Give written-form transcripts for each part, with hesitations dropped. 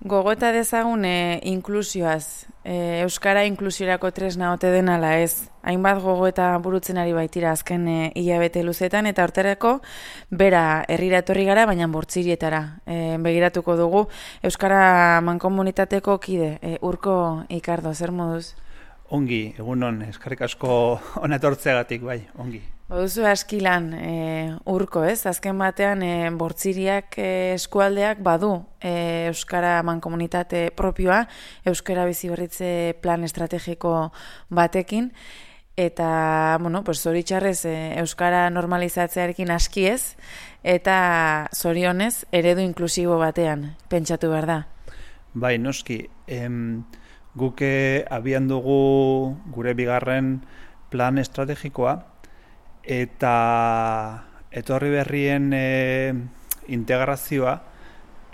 Gogoeta dezagun inklusioaz, Euskara inklusiorako tresna ote den ala ez. Hainbat gogoeta burutzen ari baitira azken hilabete luzetan, eta horterako bera herrira etorri gara, baina Bortzirietara begiratuko dugu. Euskara mankomunitateko kide, Urko Ikardo, zer moduz? Ongi, egunon, eskerrik asko hona etortzeagatik, bai, ongi. Baduzu askilan Urko, ez? Azken batean Bortziriak eskualdeak badu Euskara mankomunitate propioa, Euskara biziberritze plan estrategiko batekin, eta, zoritxarrez Euskara normalizatzearekin aski ez, eta zorionez eredu inklusibo batean pentsatu behar da. Bai, noski, guk abian dugu gure bigarren plan estrategikoa, eta etorri berrien integrazioa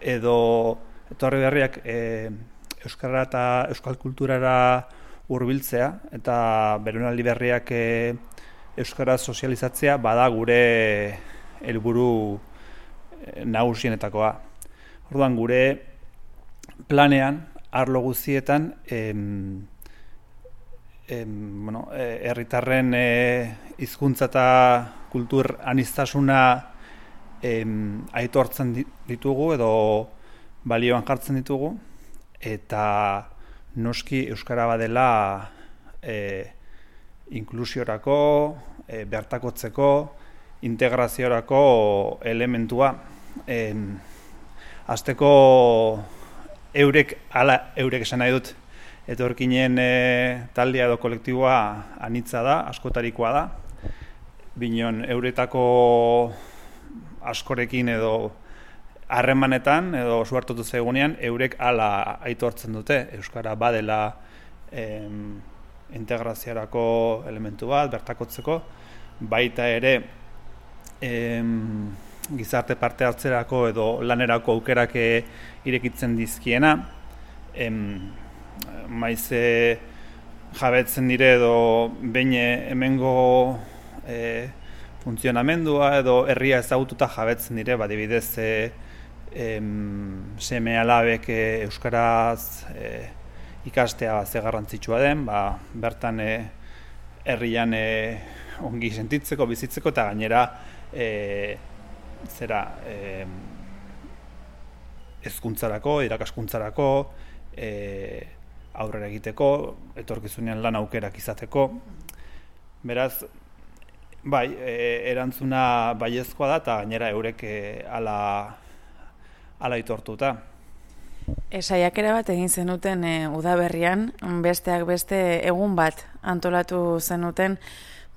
edo etorri berriak euskara eta euskal kulturara hurbiltzea eta belaunaldi berriak euskara sozializatzea bada gure helburu nagusienetakoa. Orduan gure planean arlo guztietan herritarren hizkuntza eta kultur aniztasuna aitortzen ditugu edo balioan jartzen ditugu, eta noski euskara badela inklusiorako, bertakotzeko, integraziorako elementua. Hasteko eurek esan nahi dut, etorkinen taldea edo kolektiboa anitza da, askotarikoa da. Binon euretako askorekin edo harremanetan edo suertutu zegunean eurek hala aitortzen dute. Euskara badela integraziorako elementu bat, bertakotzeko, baita ere gizarte parte hartzerako edo lanerako aukerak irekitzen dizkiena, maiz jabetzen dire edo behin hemengo funtzionamendua edo herria ezagututa jabetzen dire, adibidez seme alabek euskaraz ikastea ze garrantzitsua den, bertan herrian ongi sentitzeko, bizitzeko, eta gainera hezkuntzarako, irakaskuntzarako, aurrera egiteko, etorkizunean lan aukerak izateko. Beraz, bai, erantzuna baiezkoa da, eta gainera eurek hala aitortuta. Saiakera bat egin zenuten udaberrian, besteak beste egun bat antolatu zenuten,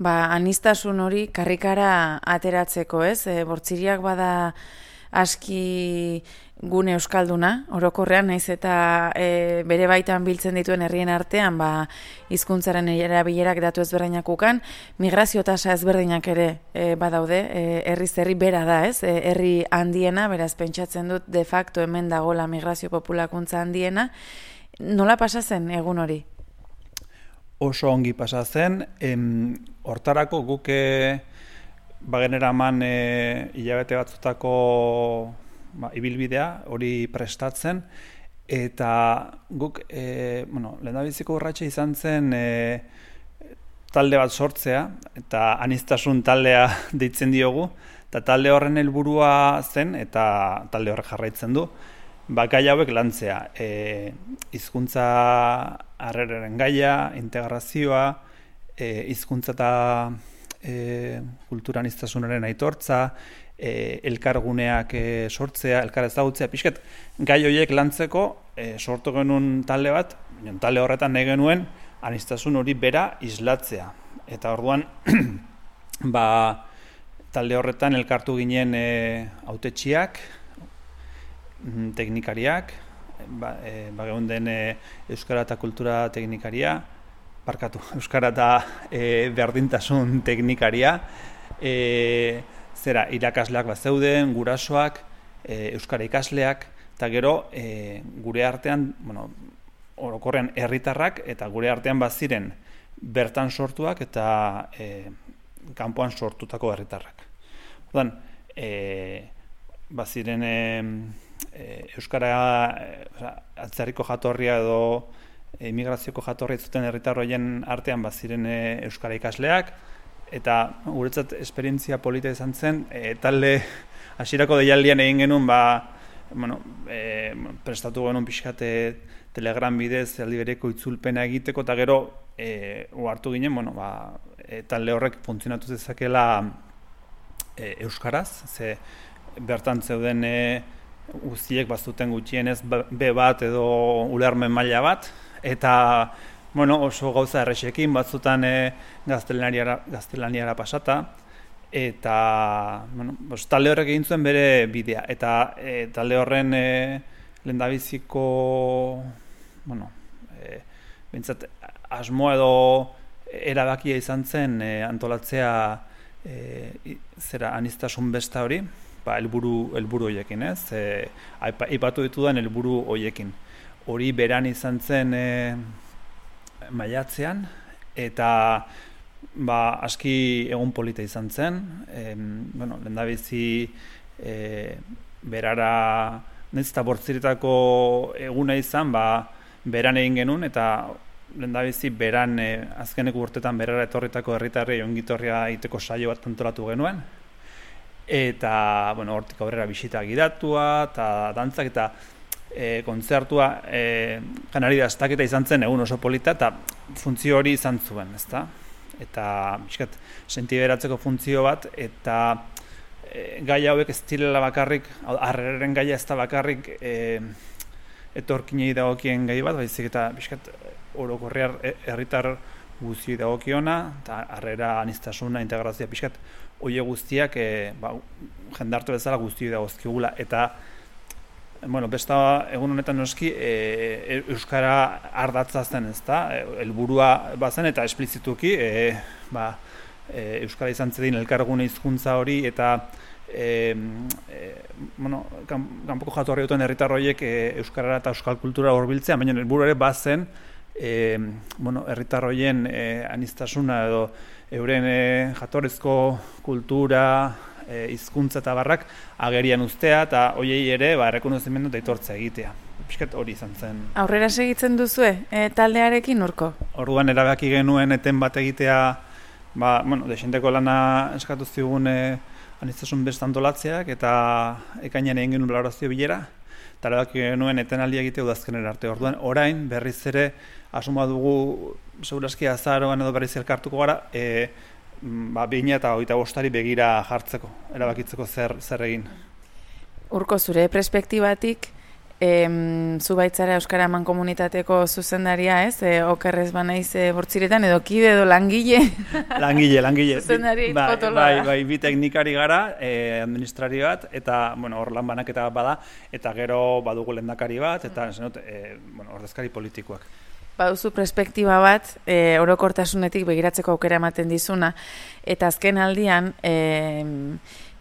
aniztasun hori karrikara ateratzeko, ez? Bortziriak bada aski gune euskalduna, orokorrean, naiz eta bere baitan biltzen dituen herrien artean, hizkuntzaren erabilerak datu ezberdinak ukan, migrazio tasa ezberdinak ere badaude, herriz herri bera da, ez? Herri handiena, beraz pentsatzen dut de facto hemen dagoela migrazio populakuntza handiena. Nola pasa zen egun hori? Oso ongi pasa zen, hortarako guk bageneraman hilabete batzutako ibilbidea hori prestatzen, eta guk lehendabiziko urratsa izan zen talde bat sortzea, eta aniztasun taldea deitzen diogu, eta talde horren helburua zen, eta talde horrek jarraitzen du, gai hauek lantzea, hizkuntza harreraren gaia, integrazioa, hizkuntza eta kultura aniztasunaren aitortza, elkarguneak sortzea, elkar ezagutzea, pixkat gai horiek lantzeko sortu genuen talde bat, talde horretan nahi genuen aniztasun hori bera islatzea. Eta orduan, talde horretan elkartu ginen hautetsiak, teknikariak, geunden euskara eta kultura teknikaria, euskara eta berdintasun teknikaria, irakasleak zeuden, gurasoak, euskara ikasleak, eta gero gure artean, orokorrean herritarrak, eta gure artean baziren bertan sortuak eta kanpoan sortutako herritarrak. Orduan, baziren euskara atzerriko jatorria edo emigrazioko jatorria zuten herritarroien artean ziren euskara ikasleak, eta guretzat esperientzia polita izan zen, talde hasierako deialdian egin genuen, prestatu genuen pixkate Telegram bidez aldi bereko itzulpena egiteko, eta gero hartu ginen, talde horrek funtzionatu zezakela euskaraz, ze bertan zeuden guztiek bazuten gutxienez B1 edo ulermen maila bat, eta oso gauza errexekin batzutan gaztelaniara pasata, eta talde horrek egin zuen bere bidea, eta talde horren lehendabiziko bintzat asmoa edo erabakia izan zen antolatzea aniztasun besta hori, helburu horiekin, aipatu ditudan helburu horiekin. Hori beran izan zen maiatzean, eta aski egun polita izan zen, lehendabizi berara, nahiz eta bortziretako eguna izan, beran egin genuen, eta lehendabizi beran azkeneko urtetan berara etorritako herritarrei ongitorria egiteko saio bat antolatu genuen, eta hortik aurrera bisita gidatua, eta dantzak, eta kontzertua janari daztaketa izan zen egun oso polita, eta funtzio hori izan zuen, ezta? Eta bizkat sentiberatzeko funtzio bat, eta gai hauek ez direla bakarrik, harreren gaia ez da bakarrik etorkinei dagokien gai bat, baizik eta bizkat orokorrean herritar guztioi dagokiona, eta harrera aniztasuna, integrazioa bizkat oie guztiak jendartu bezala guztioi dagozkigula, eta besta egun honetan noski euskara ardatza zen, ezta? Helburua bazen eta esplizituki euskara izan zedin elkargune hizkuntza hori, eta kanpoko jatorri duten herritar horiek euskarara eta euskal kultura hurbiltzea, baina helburu ere bazen herritar horien aniztasuna edo euren jatorrizko kultura, hizkuntza eta barrak agerian uztea, eta hoiei ere errekonozimendu eta aitortza egitea. Piskat hori izan zen. Aurrera segitzen duzue taldearekin urko? Orduan erabaki genuen eten bat egitea, desenteko lana eskatu zigun aniztasun besta antolatzeak, eta ekainean egin genuen balorazio bilera, eta erabaki genuen etenaldia egitea udazkenera arte. Orduan orain berriz ere asuma dugu segurazki azaroan edo berriz elkartuko gara, 2025 begira jartzeko, erabakitzeko zer egin. Urko, zure perspektibatik, zu baitzara Euskara Mankomunitateko zuzendaria, ez? Okerrez banaiz bortziretan, edo kide edo langile? Langile. Zuzendari potoloa. Bai, bi teknikari gara, administrari bat, eta hor lan banaketa bat bada, eta gero badugu lehendakari bat, eta ordezkari politikoak. Baduzu perspektiba bat, orokortasunetik begiratzeko aukera ematen dizuna, eta azken aldian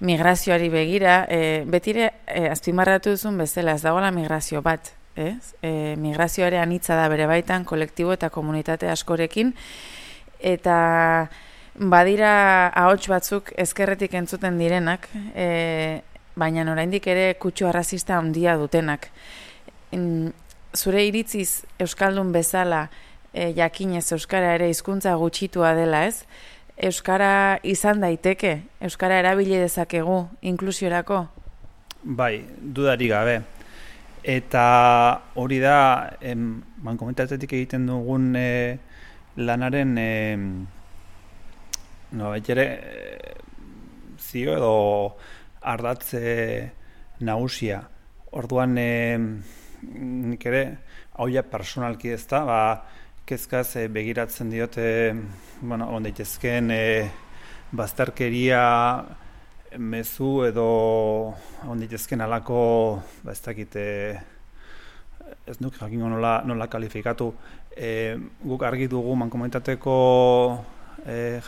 migrazioari begira, betire azpimarratu duzun bezala, ez dagoela migrazio bat, ez? Migrazioare anitza da bere baitan, kolektibo eta komunitate askorekin, eta badira ahots batzuk ezkerretik entzuten direnak, baina oraindik ere kutsu arrazista handia dutenak. Zure iritziz Euskaldun bezala jakinez Euskara ere hizkuntza gutxitua dela, ez? Euskara izan daiteke, Euskara erabili dezakegu inklusiorako? Bai, dudari gabe. Eta hori da, mankomunitatetik egiten dugun lanaren zio edo ardatze nagusia. Orduan nik ere, hauia personalki ez da, kezkaz begiratzen diote, on daitezkeen bazterkeria mezu edo on daitezkeen alako, ez dakit, ez nuk jakingo nola kalifikatu, guk argi dugu mankomunitateko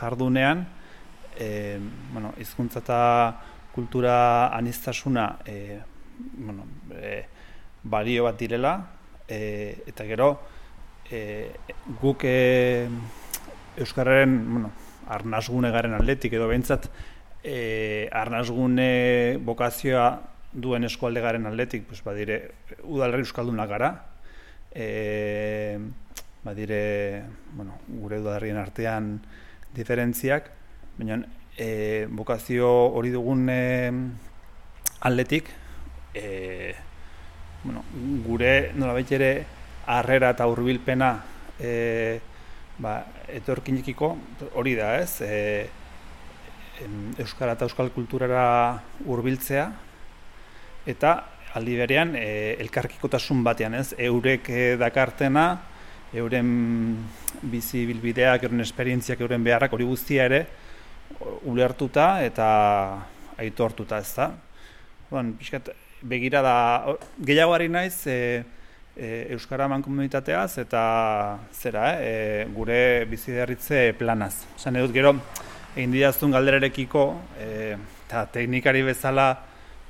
jardunean, hizkuntza eta kultura aniztasuna, balio bat direla, eta gero guk Euskararen arnasgune garen aldetik edo behintzat arnasgune bokazioa duen eskualdegaren aldetik, pues, badire udalerri euskaldunak gara, badire, bueno, gure udalerrien artean diferentziak, baina bokazio hori dugun aldetik, bueno, gure nolabait ere harrera eta hurbilpena etorkinekiko hori da, ez? Euskara eta euskal kulturara hurbiltzea eta aldi berean elkarkikotasun batean, ez? Eurek dakartena, euren bizi bilbideak, euren esperientziak, euren beharrak hori guztia ere ulertuta eta aitortuta, ez da? Pixkat, begira da, gehiagoari naiz Euskara mankomunitateaz eta gure biziberritze planaz. Esan edut gero, egin didazun galderarekiko, eta teknikari bezala,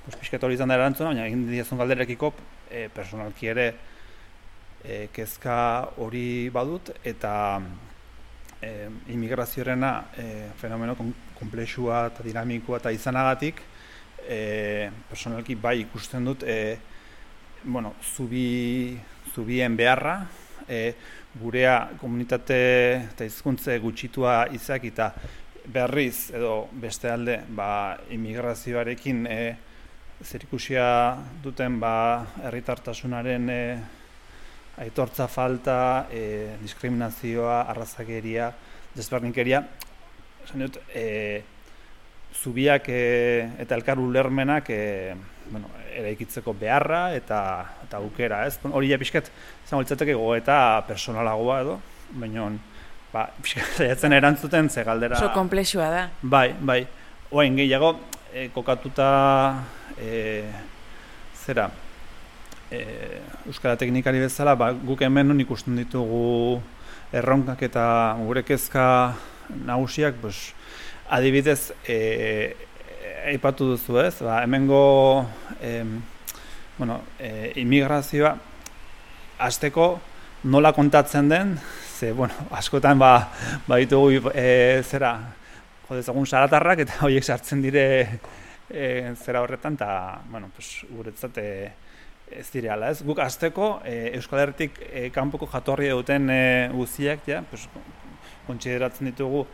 pixkat hori izan da erantzuna, baina egin didazun galderarekiko, personalki ere kezka hori badut, eta immigraziorena fenomeno komplexua eta dinamikoa eta izanagatik, personalki bai ikusten dut zubien beharra, gurea komunitate eta hizkuntze gutxitua izak eta berriz edo beste alde immigrazioarekin zerikusia duten herritartasunaren aitortza falta, diskriminazioa, arrazakeria, desberdinkeria, esan dut, zubiak eta elkar ulermenak eraikitzeko beharra eta aukera, ez? Hori ja pixkat, izango litzateke gogoeta personalagoa edo, baina pixkat saiatzen erantzuten ze galdera... Oso konplexua da. Bai. Oain gehiago, kokatuta Euskara teknikari bezala, guk hemen ikusten ditugu erronkak eta gure kezka nagusiak, adibidez, aipatu duzu, ez? Hemengo immigrazioa hasteko nola kontatzen den, ze, askotan baditugu jodezagun saratarrak eta horiek sartzen dire horretan, eta, guretzat ez direala, ez? Guk hasteko Euskal Herritik kanpoko jatorria duten guztiak, kontsideratzen ditugu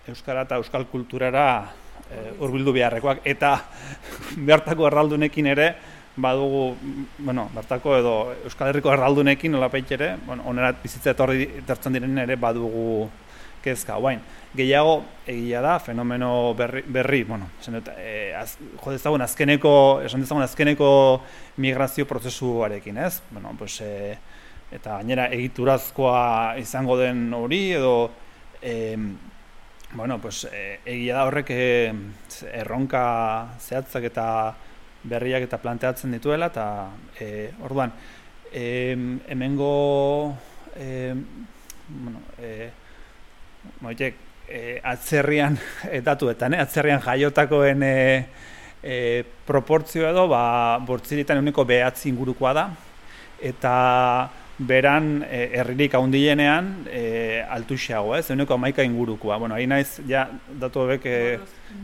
euskara eta euskal kulturara hurbildu beharrekoak, eta bertako erraldunekin ere badugu, bertako edo Euskal Herriko erraldunekin nolapait ere, onera bizitza etortzen diren ere badugu kezka. Gehiago egia da, fenomeno berri, esan dezagun azkeneko migrazio prozesuarekin, ez? Eta gainera egiturazkoa izango den hori, edo egia da horrek erronka zehatzak eta berriak eta planteatzen dituela, eta orduan, hemengo atzerrian datuetan, atzerrian jaiotakoen proportzioa edo, bortziritan euneko 9 ingurukoa da, eta beran herririk handienean altuxeago, ez? Euneko 11 ingurukoa. Ari naiz, datu hobek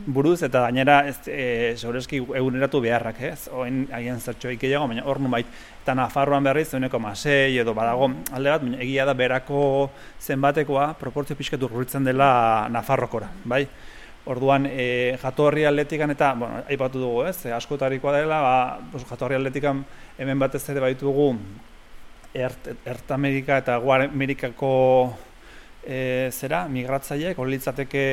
buruz, eta gainera segureski eguneratu beharrak, ez? Haien zertxoik gehiago, baina hor nubait. Eta Nafarroan berriz, euneko 6 edo badago alde bat, baina egia da berako zenbatekoa proportzio pixkatu urritzen dela Nafarrokora, bai? Orduan, jatorri atletikan eta, aipatu dugu, ez? Askotarikoa dela, jatorri atletikan hemen batez ere baitugu Ertamerika eta Amerikako migratzaileek, hori litzateke,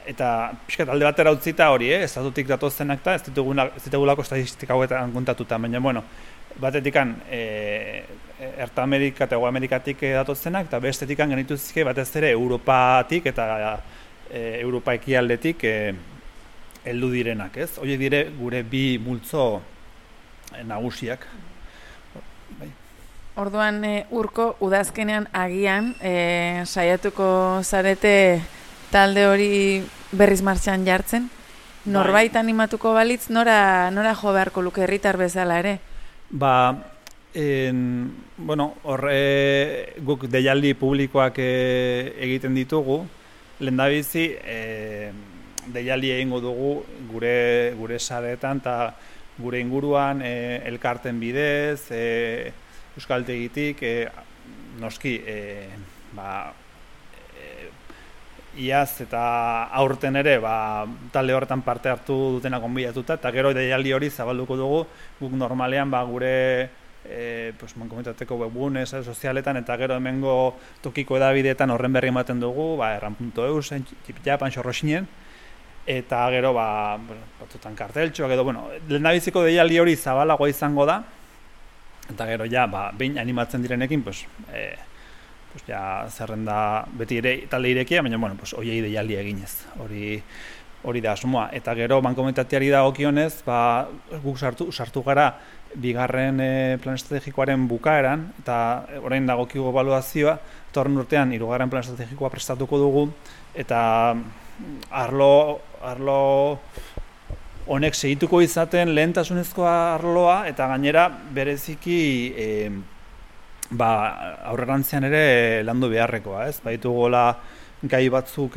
eta pixkat alde batera utzita hori, estatutik datozenak eta ez ditugulako statistika hauetan kontatuta, baina, batetikan Ertamerika eta Amerikatik datozenak, eta bestetikan genituzke batez ere Europatik eta Europa ekialdetik heldu direnak, ez? Horiek dire gure bi multzo nagusiak. Orduan, Urko, udazkenean agian saiatuko zarete talde hori berriz martxan jartzen? Norbait animatuko balitz, nora jo beharko luke herritar bezala ere? Guk deialdi publikoak egiten ditugu, lehendabizi, deialdi egingo dugu gure saretan eta gure inguruan elkarten bidez, euskaltegitik, noski, iaz eta aurten ere talde horretan parte hartu dutena gonbidatuta, eta gero deialdi hori zabalduko dugu, guk normalean gure mankomunitateko webgune, sozialetan, eta gero hemengo tokiko edabideetan horren berri ematen dugu, erran.eu, Japan, Xorroxinen, eta gero batzutan karteltxoak edo, lehendabiziko deialdi hori zabalagoa izango da, eta gero behin animatzen direnekin, zerrenda beti ere talde irekia, baina, hoiei deialdi eginez, hori da asmoa. Eta gero, mankomunitateari dagokionez, guk sartu gara bigarren plan estrategikoaren bukaeran, eta orain dagokigu ebaluazioa, eta horren urtean, hirugarren plan estrategikoa prestatuko dugu, eta arlo honek segituko izaten lehentasunezkoa arloa, eta gainera bereziki aurrerantzean ere landu beharrekoa, ez? Baditugola gai batzuk,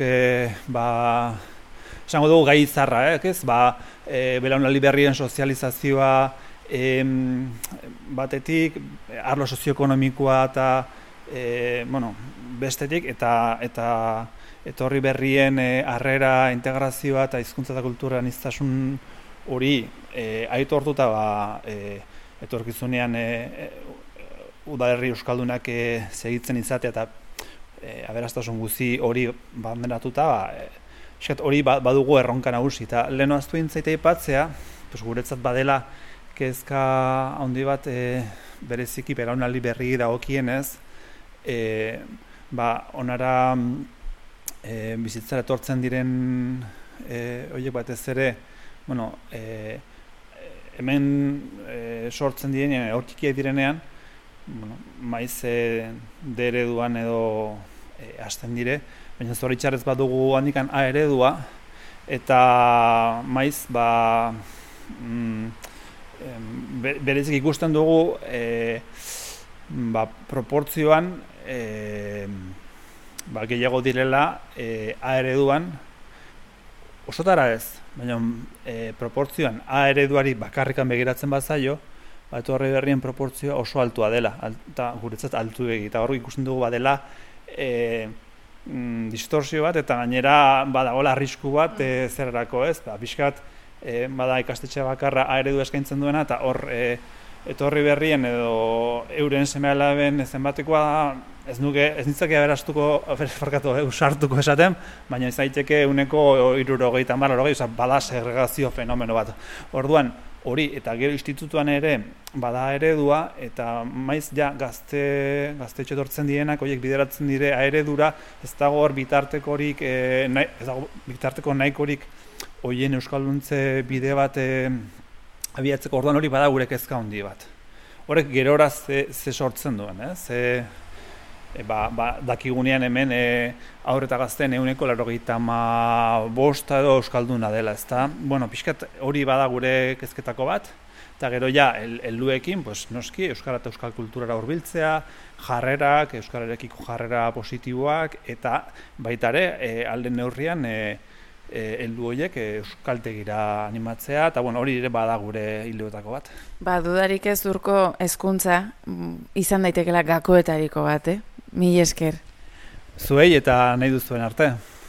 esango dugu gai izarra, ez? Belaunaldi berrien sozializazioa batetik, arlo sozioekonomikoa eta bestetik, eta etorri berrien harrera, integrazioa eta hizkuntza eta kultura aniztasun hori aitortuta etorkizunean udalerri euskaldunak segitzen izatea eta aberastasun guzi hori banderatuta, hori badugu erronka nagusi. Eta lehen oaztu intzaita aipatzea, guretzat badela kezka handi bat bereziki belaunaldi berri dagokienez, onara bizitzara etortzen diren horiek batez ere, hemen sortzen direnean, aurkikiak direnean, maiz D ereduan edo hasten dire, baina zoritxarrez badugu handikan A eredua, eta maiz berezik ikusten dugu proportzioan gehiago direla A ereduan, osotara ez, baina proportzioan A ereduari bakarrikan begiratzen bazaio, etorri berrien proportzioa oso altua dela, eta guretzat altu egi, eta hor ikusten dugu badela distorsio bat, eta gainera badagoela arrisku bat zerrerako, ez? Pixkat bada ikastetxe bakarra A eredu eskaintzen duena, eta hor etorri berrien edo euren seme-alaben zenbatekoa ez nitzake usartuko esaten, baina ez daiteke uneko 70-80, bada segregazio fenomeno bat. Orduan, hori, eta gero institutuan ere bada eredua, eta maiz gaztetxo etortzen direnak, horiek bideratzen dire eredura, ez dago hor bitartekorik nahikorik horien euskalduntze bide bat abiatzeko. Orduan hori bada gure kezka handi bat. Horrek gerora ze sortzen duen, dakigunean hemen haur eta gazten 95% edo euskalduna dela, ezta? Pixkat hori bada gure kezketako bat, eta gero helduekin, noski, euskara eta euskal kulturara hurbiltzea, jarrerak, euskararekiko jarrera positiboak, eta baita ere, alde neurrian heldu horiek euskaltegira animatzea, eta hori ere bada gure hildoetako bat. Dudarik ez Urko hezkuntza izan daitekela gakoetariko bat, Mila esker. Zuei eta nahi duzuen arte.